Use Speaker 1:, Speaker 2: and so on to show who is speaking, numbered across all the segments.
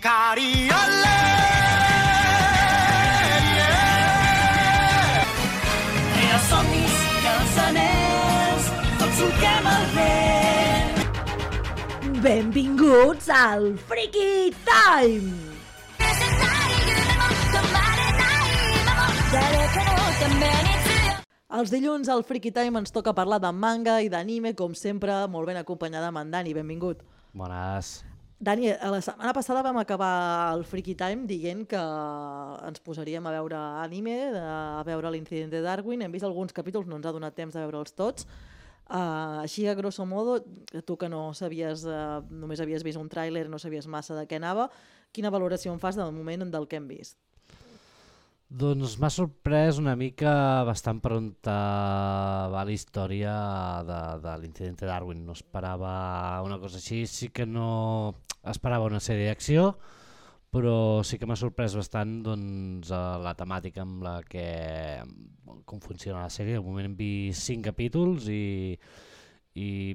Speaker 1: Cariole,
Speaker 2: Els somnis i els anells, tots solquem el vent.
Speaker 3: Benvinguts al Freaky Time! Els dilluns al Freaky Time ens toca parlar de manga i d'anime, com sempre, molt ben acompanyada amb en Dani. Benvingut.
Speaker 4: Bones.
Speaker 3: Dani, la setmana passada vam acabar el Freaky Time dient que ens posaríem a veure anime, a veure l'Incident de Darwin. Hem vist alguns capítols, no ens ha donat temps de veure'ls tots. Així, a grosso modo, tu que no sabies, només havies vist un tràiler, no sabies massa de què anava, quina valoració en fas del moment del que hem vist?
Speaker 4: Doncs m'ha sorprès una mica bastant per on va la història de l'Incident de Darwin. No esperava una cosa així, sí que no esperava una sèrie d'acció, però sí que m'ha sorprès bastant doncs, la temàtica amb la que com funciona la sèrie. De moment hem vist 5 capítols i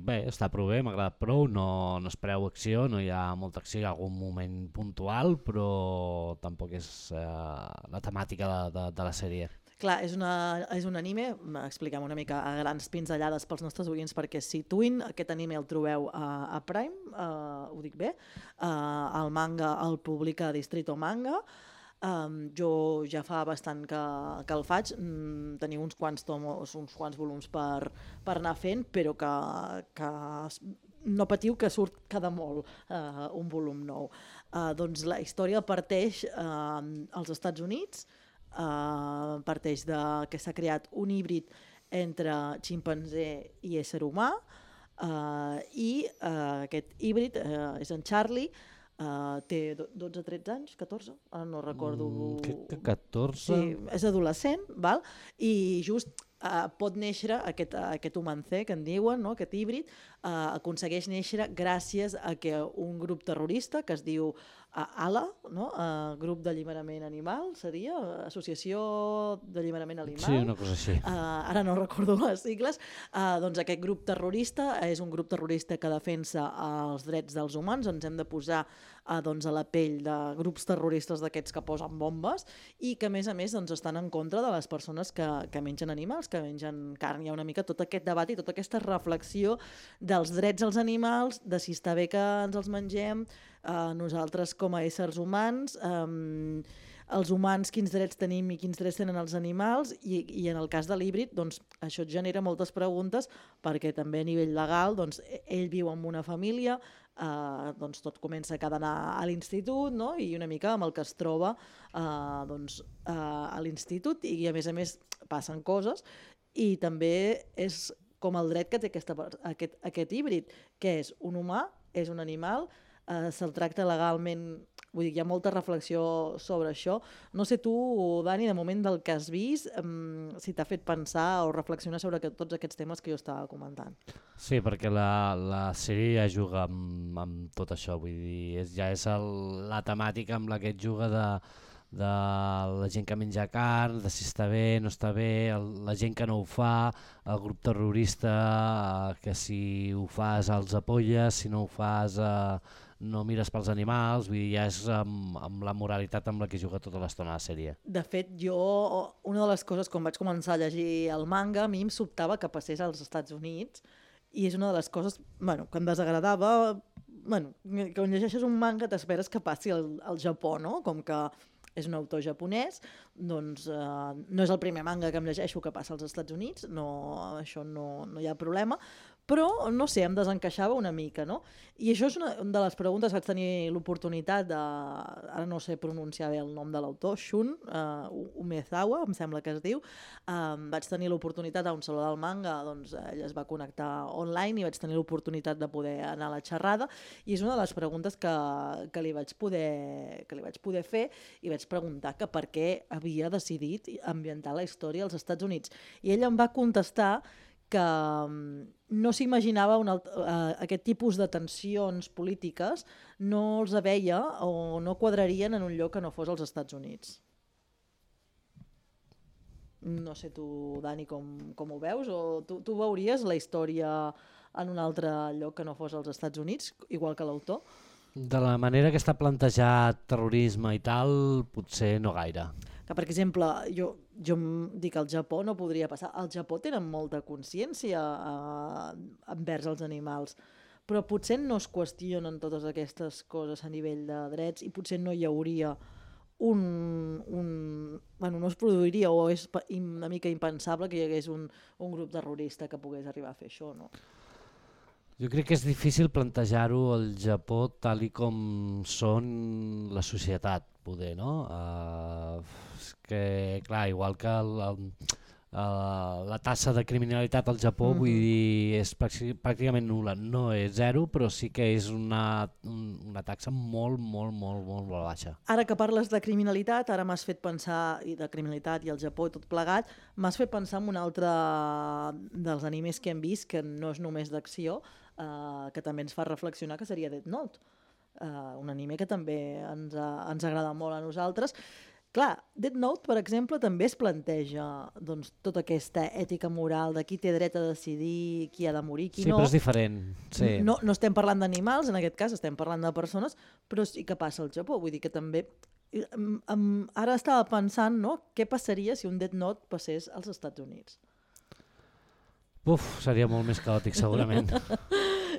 Speaker 4: bé, està prou bé, m'ha agradat prou, no espereu acció, no hi ha molta acció, hi ha algun moment puntual, però tampoc és la temàtica de la sèrie.
Speaker 3: Clar, és un anime, expliquem una mica a grans pinzellades pels nostres oients perquè es situïn. Aquest anime el trobeu a Prime, ho dic bé, el manga el publica Distrito Manga. Jo ja fa bastant que el faig, teniu uns quants tomos, uns quants volums per anar fent, però que no patiu que surt cada molt un volum nou. Doncs la història parteix als Estats Units, parteix que s'ha creat un híbrid entre ximpanzé i ésser humà, i aquest híbrid és en Charlie. Té 12-13 anys, 14, ara no recordo.
Speaker 4: Crec que 14.
Speaker 3: Sí, és adolescent, val? I just pot néixer aquest humancé que en diuen, no? Aquest híbrid, aconsegueix néixer gràcies a que un grup terrorista que es diu ALA, no? Grup d'Alliberament Animal, seria? Associació d'Alliberament Animal?
Speaker 4: Sí, una cosa així.
Speaker 3: Ara no recordo les sigles. Doncs aquest grup terrorista és un grup terrorista que defensa els drets dels humans. Ens hem de posar doncs, a la pell de grups terroristes d'aquests que posen bombes i que a més doncs, estan en contra de les persones que mengen animals, que mengen carn. Hi ha una mica tot aquest debat i tota aquesta reflexió dels drets als animals, de si està bé que ens els mengem, nosaltres com a éssers humans, els humans quins drets tenim i quins drets tenen els animals, i en el cas de l'híbrid doncs, això et genera moltes preguntes perquè també a nivell legal doncs, ell viu amb una família, doncs tot comença que ha d'anar a l'institut, no? I una mica amb el que es troba doncs, a l'institut, i a més passen coses, i també és com el dret que té aquest híbrid, que és un humà, és un animal, se'l tracta legalment. Vull dir, hi ha molta reflexió sobre això. No sé tu, Dani, de moment del que has vist, si t'ha fet pensar o reflexionar sobre tots aquests temes que jo estava comentant.
Speaker 4: Sí, perquè la sèrie ja juga amb tot això, vull dir, ja és la temàtica amb la que et juga de la gent que menja carn, de si està bé, no està bé, la gent que no ho fa, el grup terrorista que si ho fas els apolles, si no ho fas no mires pels animals, vull dir, ja és amb la moralitat amb la que juga tota l'estona la sèrie.
Speaker 3: De fet, una de les coses, quan vaig començar a llegir el manga, a mi em sobtava que passés als Estats Units, i és una de les coses que em desagradava. Quan llegeixes un manga t'esperes que passi al Japó, no? Com que és un autor japonès, doncs no és el primer manga que em llegeixo que passa als Estats Units, això no hi ha problema, però no sé, em desencaixava una mica, no? I això és una de les preguntes. Vaig tenir l'oportunitat ara no sé pronunciar bé el nom de l'autor, Shun Umezawa, em sembla que es diu. Vaig tenir l'oportunitat a un saló del manga, doncs ell es va connectar online i vaig tenir l'oportunitat de poder anar a la xerrada, i és una de les preguntes que li vaig poder fer, i vaig preguntar que per què havia decidit ambientar la història als Estats Units. I ell em va contestar que no s'imaginava aquest tipus de tensions polítiques, no els veia o no quadrarien en un lloc que no fos als Estats Units. No sé tu, Dani, com ho veus, o tu veuries la història en un altre lloc que no fos als Estats Units, igual que l'autor?
Speaker 4: De la manera que està plantejat terrorisme i tal, potser no gaire.
Speaker 3: Que, per exemple, jo em dic al Japó no podria passar. Al Japó tenen molta consciència envers els animals, però potser no es qüestionen totes aquestes coses a nivell de drets i potser no hi hauria bueno, no es produiria o és una mica impensable que hi hagués un grup terrorista que pogués arribar a fer això, no?
Speaker 4: Jo crec que és difícil plantejar-ho al Japó tal i com són la societat, poder, no? És que, clar, igual que la tassa de criminalitat al Japó, vull dir, és pràcticament nul·la. No és zero, però sí que és una taxa molt baixa.
Speaker 3: Ara que parles de criminalitat, ara m'has fet pensar, i de criminalitat i el Japó i tot plegat, m'has fet pensar en un altre dels animes que hem vist, que no és només d'acció, que també ens fa reflexionar, que seria Death Note. Un anime que també ens agrada molt a nosaltres. Clar, Death Note, per exemple, també es planteja doncs, tota aquesta ètica moral de qui té dret a decidir qui ha de morir, qui no.
Speaker 4: Sí, però és diferent. Sí.
Speaker 3: No estem parlant d'animals, en aquest cas estem parlant de persones, però sí que passa al Japó. Vull dir que també... Ara estava pensant, no?, què passaria si un Death Note passés als Estats Units.
Speaker 4: Seria molt més caòtic, segurament.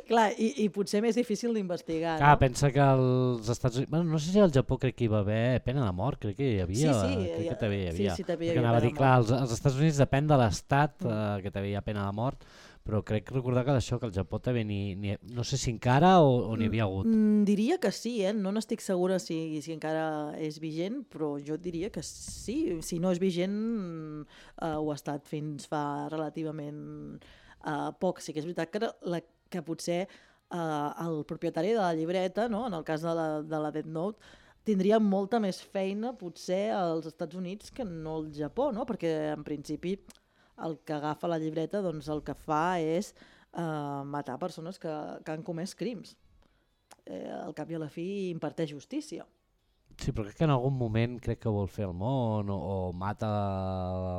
Speaker 3: Clar, i potser més difícil d'investigar.
Speaker 4: Clar,
Speaker 3: no?
Speaker 4: Pensa que als Estats Units... Bueno, no sé si al Japó crec que hi va haver pena de mort, crec que hi havia.
Speaker 3: Sí,
Speaker 4: crec que també hi havia.
Speaker 3: Sí, també hi
Speaker 4: havia.
Speaker 3: Anava
Speaker 4: a dir, clar, als Estats Units depèn de l'estat que també hi ha pena de mort, però crec recordar que d'això, que al Japó també no sé si encara o n'hi havia hagut.
Speaker 3: Diria que sí, no n'estic segura si encara és vigent, però jo diria que sí. Si no és vigent, ho ha estat fins fa relativament poc. Sí que és veritat que potser el propietari de la llibreta, no? En el cas de la Death Note, tindria molta més feina potser als Estats Units que no al Japó, no? Perquè en principi el que agafa la llibreta doncs, el que fa és matar persones que han comès crims. Al cap i a la fi imparteix justícia.
Speaker 4: Sí, però crec que en algun moment crec que vol fer el món o mata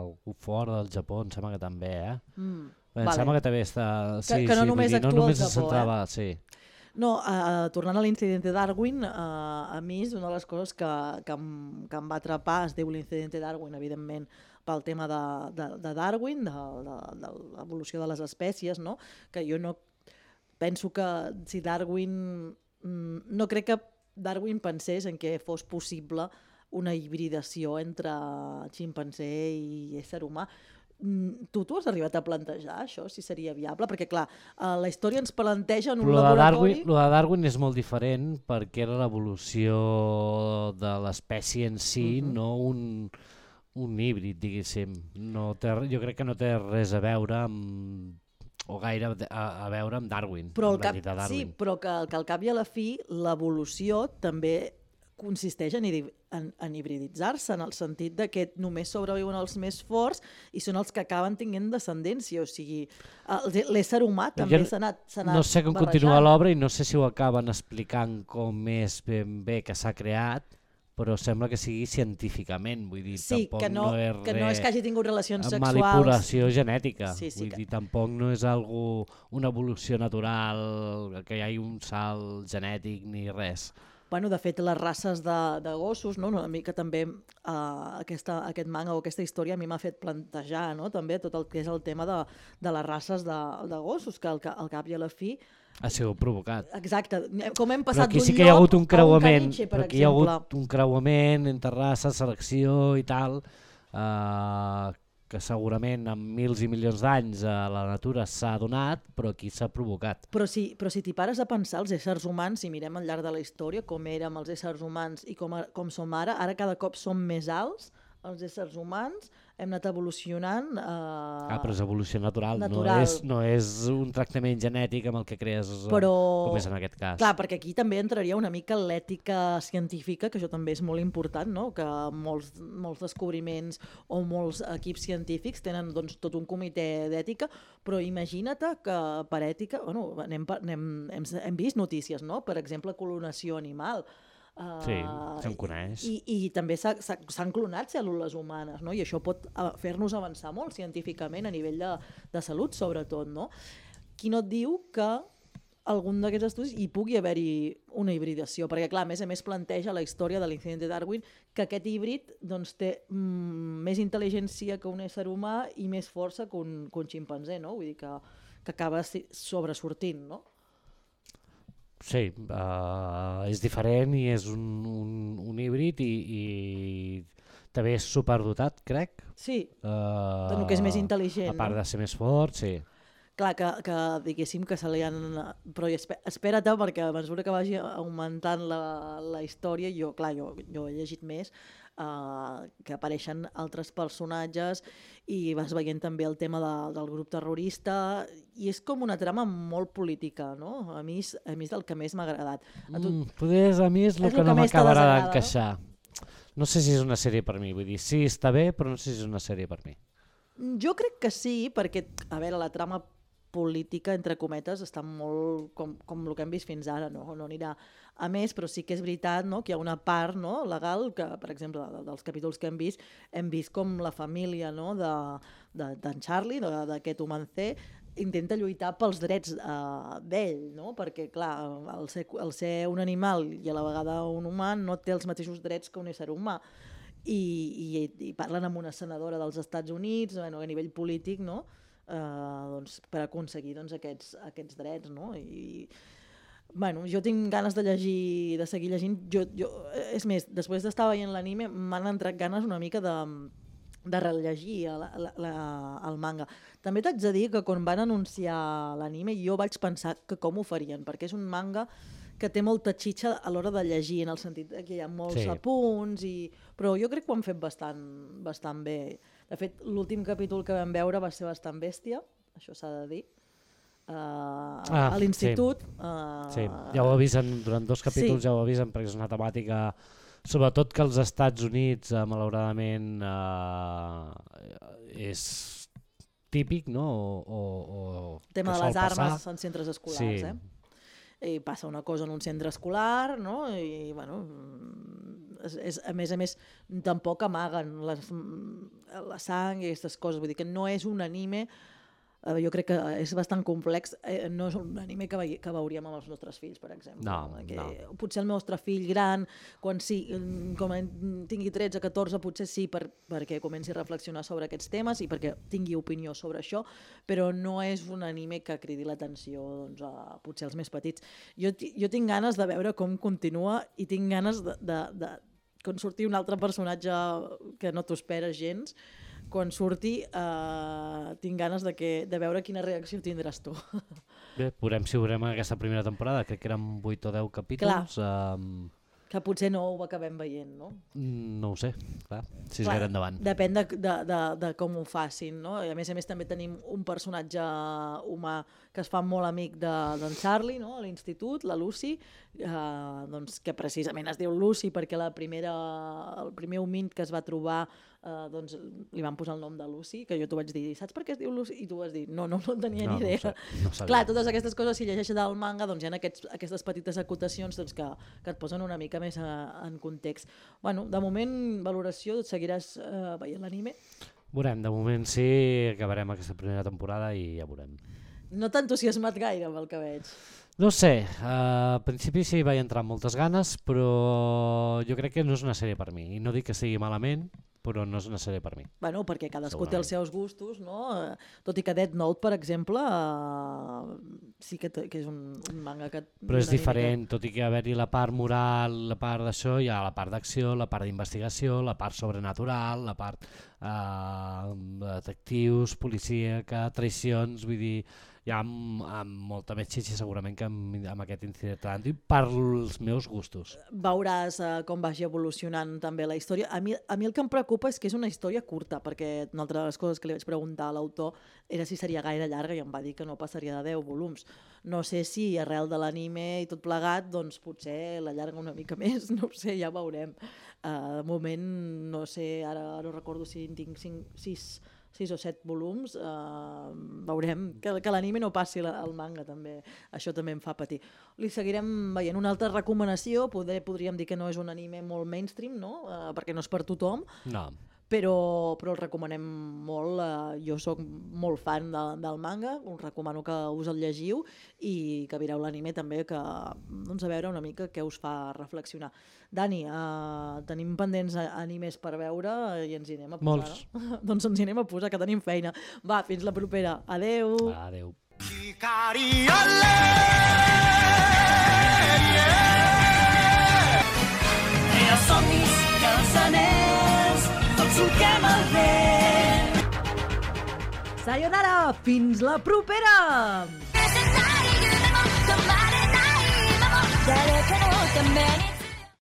Speaker 4: algú fora del Japó, em sembla que també, Em sembla que també està... Sí,
Speaker 3: que no només actua
Speaker 4: no només
Speaker 3: al Japó,
Speaker 4: centrava, sí.
Speaker 3: No, tornant a l'incidente Darwin, a mi és una de les coses que em va atrapar, es diu l'incidente Darwin, evidentment, pel tema de Darwin, de l'evolució de les espècies, no? Que jo no penso que si Darwin... No crec que Darwin pensés en què fos possible una hibridació entre ximpanzé i ésser humà. Tu has arribat a plantejar això, si seria viable? Perquè, clar, la història ens planteja en un laboratori...
Speaker 4: Lo de Darwin és molt diferent perquè era l'evolució de l'espècie en si, no un híbrid, diguéssim. Jo crec que no té res a veure amb o gaire a veure amb Darwin.
Speaker 3: Sí, però que al cap i a la fi l'evolució també consisteix en hibriditzar-se, en el sentit de que només sobreviuen els més forts i són els que acaben tinguent descendència, o sigui, l'ésser humà també s'ha anat
Speaker 4: no sé com continua l'obra i no sé si ho acaben explicant com és ben bé que s'ha creat, però sembla que sigui científicament, vull dir,
Speaker 3: sí,
Speaker 4: tampoc no és res...
Speaker 3: que no és que hagi tingut relacions sexuals...
Speaker 4: Manipulació genètica,
Speaker 3: vull
Speaker 4: dir, tampoc no és una evolució natural, que hi hagi un salt genètic ni res.
Speaker 3: Bueno, de fet, les races de gossos, no? Una mica també aquest manga o aquesta història a mi m'ha fet plantejar, no? També tot el que és el tema de les races de gossos, que al cap i a la fi...
Speaker 4: Ha sigut provocat.
Speaker 3: Exacte. Com hem passat d'un lloc a un
Speaker 4: caniche, per exemple.
Speaker 3: Però
Speaker 4: aquí hi ha hagut un creuament entre races, selecció i tal, que segurament en mils i milions d'anys la natura s'ha donat, però aquí s'ha provocat.
Speaker 3: Però si t'hi pares a pensar, els éssers humans, si mirem al llarg de la història, com érem els éssers humans i com som ara cada cop som més alts, els éssers humans, hem anat evolucionant...
Speaker 4: però és evolució natural. No és un tractament genètic amb el que crees, com és en aquest cas.
Speaker 3: Clar, perquè aquí també entraria una mica l'ètica científica, que això també és molt important, no? Que molts descobriments o molts equips científics tenen doncs, tot un comitè d'ètica, però imagina't que per ètica... Bueno, hem vist notícies, no? Per exemple, clonació animal.
Speaker 4: Sí, se'n coneix.
Speaker 3: I també s'han clonat cèl·lules humanes, no? I això pot fer-nos avançar molt científicament a nivell de salut, sobretot, no? Qui no et diu que algun d'aquests estudis i pugui haver-hi una hibridació, perquè clar, a més planteja la història de l'incident de Darwin, que aquest híbrid doncs, té més intel·ligència que un ésser humà i més força que un ximpanzé, no? Vull dir que acaba sobresortint, no?
Speaker 4: Sí, és diferent i és un híbrid i també és superdotat, crec.
Speaker 3: Sí, del que és més intel·ligent.
Speaker 4: A part de ser més fort, sí.
Speaker 3: Clar, que diguéssim que se li han... Però espera't, perquè a mesura que vagi augmentant la història, jo he llegit més, que apareixen altres personatges i vas veient també el tema del grup terrorista i és com una trama molt política, no? A mi és el que més m'ha agradat.
Speaker 4: Poder a mi és el que no m'acabarà d'encaixar. No sé si és una sèrie per mi, vull dir, sí, està bé, però no sé si és una sèrie per mi.
Speaker 3: Jo crec que sí, perquè, a veure, la trama política, entre cometes, està molt com el que hem vist fins ara, no anirà a més, però sí que és veritat, no, que hi ha una part, no, legal que, per exemple, dels capítols que hem vist com la família, no, d'en Charlie, d'aquest humancé, intenta lluitar pels drets d'ell, no? Perquè clar, el ser un animal i a la vegada un humà no té els mateixos drets que un ésser humà. I parlen amb una senadora dels Estats Units, a nivell polític, no? Doncs, per aconseguir aquests drets, no? I jo tinc ganes de seguir llegint. És més, després d'estar veient l'anime m'han entrat ganes una mica de rellegir el manga. També t'haig de dir que quan van anunciar l'anime jo vaig pensar que com ho farien, perquè és un manga que té molta xitxa a l'hora de llegir, en el sentit que hi ha molts apunts, però jo crec que ho han fet bastant bé. De fet, l'últim capítol que vam veure va ser bastant bèstia, això s'ha de dir, a l'institut.
Speaker 4: Sí, ja ho avisen, durant 2 capítols ja ho avisen, perquè és una temàtica, sobretot que als Estats Units, malauradament, és típic, no?
Speaker 3: El tema de les armes en centres escolars, i passa una cosa en un centre escolar, no? I, a més, tampoc amaguen la sang i aquestes coses, vull dir que no és un anime, jo crec que és bastant complex, no és un anime que veuríem amb els nostres fills, per exemple. No. Potser el nostre fill gran, quan tingui 13 o 14, potser sí, perquè comenci a reflexionar sobre aquests temes i perquè tingui opinió sobre això, però no és un anime que cridi l'atenció potser als més petits. Jo tinc ganes de veure com continua i tinc ganes de quan surti un altre personatge que no t'ho esperes gens, quan surti tinc ganes de veure quina reacció tindràs tu.
Speaker 4: Bé, veurem si veurem aquesta primera temporada, crec que eren 8 o 10 capítols.
Speaker 3: Que potser no ho acabem veient, no?
Speaker 4: No ho sé, clar, si es gara endavant.
Speaker 3: Depèn de com ho facin, no? I a més també tenim un personatge humà que es fa molt amic d'en Charlie, no? A l'institut, la Lucy, que precisament es diu Lucy perquè el primer humint que es va trobar li van posar el nom de Lucy, que jo t'ho vaig dir, saps per què es diu Lucy? I tu vas dir, no tenia ni idea.
Speaker 4: No
Speaker 3: clar, totes aquestes coses, si llegeixes del manga, doncs hi ha aquestes petites acotacions que et posen una mica més en context. De moment, valoració, seguiràs veient l'anime?
Speaker 4: Veurem, de moment sí, acabarem aquesta primera temporada i ja veurem.
Speaker 3: No t'ha entusiasmat gaire amb el que veig.
Speaker 4: No sé, al principi sí vaig entrar amb moltes ganes, però jo crec que no és una sèrie per mi. I no dic que sigui malament, però no és una sèrie per mi.
Speaker 3: Perquè cadascú té els seus gustos, no? Tot i que Death Note, per exemple, sí que és un manga que...
Speaker 4: Però és diferent, tot i que haver-hi la part moral, la part d'això, hi ha la part d'acció, la part d'investigació, la part sobrenatural, la part detectius, policíaca, traïcions, vull dir... Hi ha molta més xitxa segurament que amb aquest incident per als meus gustos.
Speaker 3: Veuràs com vagi evolucionant també la història. A mi el que em preocupa és que és una història curta, perquè una altra de les coses que li vaig preguntar a l'autor era si seria gaire llarga i em va dir que no passaria de 10 volums. No sé si arrel de l'anime i tot plegat, doncs potser l'allarga una mica més, no ho sé, ja veurem. De moment, no sé, ara no recordo si en tinc 6 o 7 volums, veurem que l'anime no passi al manga també, això també em fa patir. Li seguirem veient. Una altra recomanació, podríem dir que no és un anime molt mainstream, no? Perquè no és per tothom,
Speaker 4: no.
Speaker 3: però el recomanem molt. Jo sóc molt fan del manga, us recomano que us el llegiu i que mireu l'anime també, que doncs, a veure una mica què us fa reflexionar. Dani, tenim pendents animes per veure i ens hi anem a posar.
Speaker 4: Molts.
Speaker 3: No? Doncs ens hi anem a posar, que tenim feina. Va, fins la propera. Adeu.
Speaker 4: Adeu.
Speaker 2: Els somnis i els anells, tots solquem el vent.
Speaker 3: Sayonara, fins la propera!
Speaker 1: 誰かのために